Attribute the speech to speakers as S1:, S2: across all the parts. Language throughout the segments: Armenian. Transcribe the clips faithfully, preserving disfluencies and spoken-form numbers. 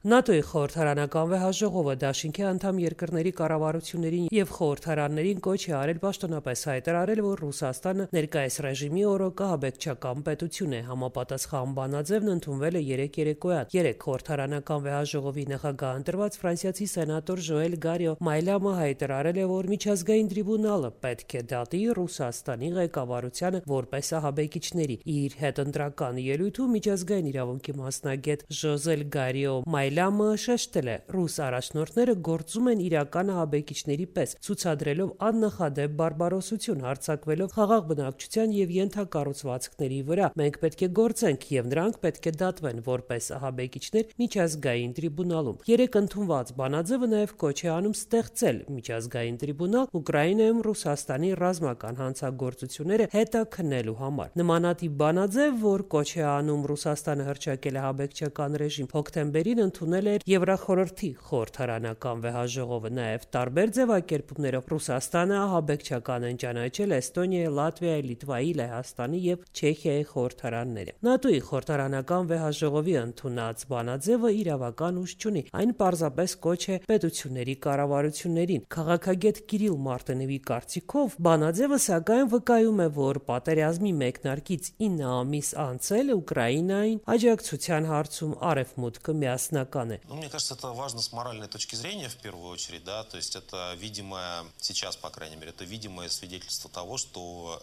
S1: ՆԱՏՕ-ի խորհրդարանական վեհաժողովը դաշինքի անդամ երկրների կառավարություններին եւ խորհրդարաններին կոչ է արել պաշտոնապես հայտարարել, որ Ռուսաստանը ներկայիս ռեժիմի օրոկահաբեկչական պետություն է։ Համապատասխան բանաձևն ընդունվել է երեկ երեկոյան։ Երեկ խորհրդարանական վեհաժողովի նախագահ ընտրված ֆրանսիացի սենատոր Ժոել Գարիո Մայլամը հայտարարել է, որ միջազգային տրիբունալը պետք է դատի Ռուսաստանի ղեկավարությանը որպես ահաբեկիչների։ Իր հետընտրական ելույթում միջազգային իրավունքի մասնագետ Ժոզել Գարիո Մայլամը շեշտել է, ռուս առաջնորդները գործում են իրական ահաբեկիչների պես, ցուցադրելով աննախադեպ բարբարոսություն, հարձակվելով խաղաղ բնակչության եւ ենթակառուցվածքների վրա։ Մենք պետք է գործենք եւ նրանք պետք է դատվեն որպես ահաբեկիչներ միջազգային տրիբունալում։ Երեկ ընդունված բանաձևը նաեւ կոչ է անում ստեղծել միջազգային տրիբունալ Ուկրաինայում Ռուսաստանի ռազմական հանցագործությունները հետաքննելու համար։ Նմանատիպ բանաձև, որ կոչ է անում Ռուսաստանը հռչակել ահաբեկչական ռեժիմ, հոկտեմբերին ընդունել էր Եվրախորհրդի խորհրդարանական վեհաժողովը։ Նաև տարբեր ձևակերպումներով Ռուսաստանը ահաբեկչական են ճանաչել Էստոնիայի, Լատվիայի, Լիտվայի, Լեհաստանի եւ Չեխիայի խորհրդարանները։ ՆԱՏՕ-ի խորհրդարանական վեհաժողովի ընդունած բանաձևը իրավական ուժ չունի։ Այն պարզապես կոչ է պետությունների կառավարություններին։ Քաղաքագետ Կիրիլ Մարտինովի կարծիքով բանաձևը սակայն վկայում է, որ պատերազմի մեկնարկից ինը ամիս անց էլ Ուկրաինային աջակցության հարցում Արևմուտքը միասնական է։
S2: Ну, мне кажется, это важно с моральной точки зрения в первую очередь, да, то есть это видимое, сейчас, по крайней мере, это видимое свидетельство того, что...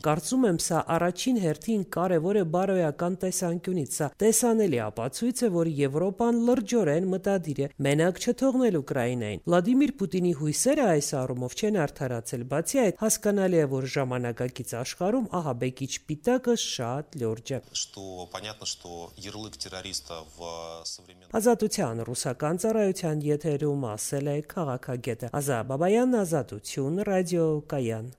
S1: Կարծում եմ, սա առաջին հերթին կարևոր է բարոյական տեսանկյունից, սա տեսանելի ապացույց է, որ Եվրոպան լրջորեն մտադիր է մենակ չթողնել Ուկրաինային։ Վլադիմիր Պուտինի հույսերը այս առումով չեն արդարացել, բացի այդ հասկանալի է, որ ժամանակակից աշխարհում ահաբեկիչ պիտակը շատ լուրջ է։
S2: Что понятно, что ярлык террориста в современном...
S1: Ազատության ռուսական ծառայության եթերում ասել է քաղաքագետը Ազա Բաբայան, Ազատություն, ռադիո Կայան։